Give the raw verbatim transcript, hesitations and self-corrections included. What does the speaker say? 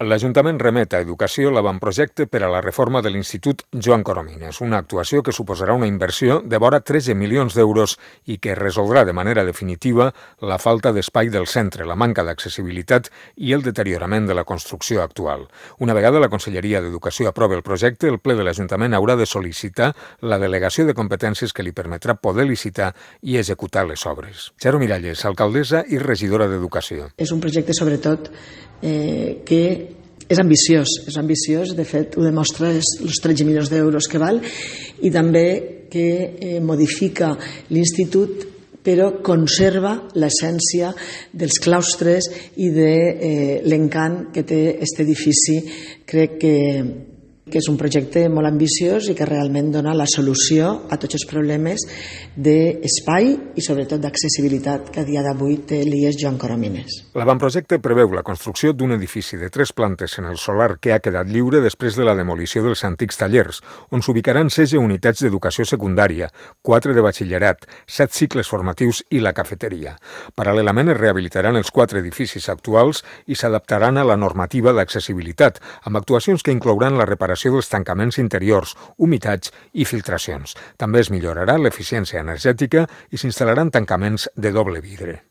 L'Ajuntament remet a Educació l'avantprojecte per a la reforma de l'Institut Joan Coromines, una actuació que suposarà una inversió de vora tretze milions d'euros i que resoldrà de manera definitiva la falta d'espai del centre, la manca d'accessibilitat i el deteriorament de la construcció actual. Una vegada la Conselleria d'Educació aprova el projecte, el ple de l'Ajuntament haurà de sol·licitar la delegació de competències que li permetrà poder licitar i executar les obres. Charo Miralles, alcaldessa i regidora d'Educació. És un projecte, sobretot, eh, que és ambiciós, és ambiciós, de fet ho demostra els tretze milions d'euros que val, i també que eh, modifica l'institut però conserva l'essència dels claustres i de eh, l'encant que té aquest edifici. Crec que que és un projecte molt ambiciós i que realment dona la solució a tots els problemes d'espai i sobretot d'accessibilitat que a dia d'avui té l'I E S Joan Coromines. L'avantprojecte preveu la construcció d'un edifici de tres plantes en el solar que ha quedat lliure després de la demolició dels antics tallers, on s'ubicaran setze unitats d'educació secundària, quatre de batxillerat, set cicles formatius i la cafeteria. Paral·lelament es rehabilitaran els quatre edificis actuals i s'adaptaran a la normativa d'accessibilitat, amb actuacions que inclouran la reparació dels tancaments interiors, humitats i filtracions. També es millorarà l'eficiència energètica i s'instal·laran tancaments de doble vidre.